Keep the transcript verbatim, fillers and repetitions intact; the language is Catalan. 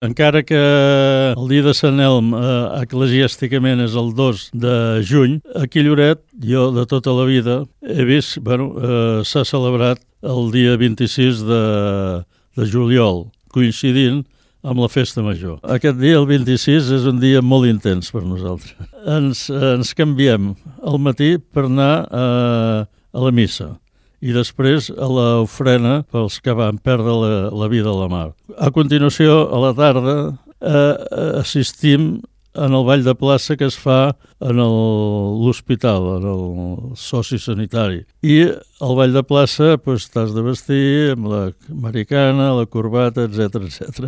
Encara que el dia de Sant Elm eh, eclesiàsticament és el dos de juny, aquí a Lloret, jo de tota la vida he vist, bueno, eh, s'ha celebrat el dia vint-i-sis de, de juliol, coincidint amb la festa major. Aquest dia, el vint-i-sis, és un dia molt intens per nosaltres. Ens, ens canviem al matí per anar a, a la missa i després a l'ofrena pels que van perdre la, la vida a la mar. A continuació, a la tarda, eh, assistim en el ball de plaça que es fa en l'hospital, en el soci sanitari. I al ball de plaça pues, t'has de vestir amb la americana, la corbata, etcètera, etcètera.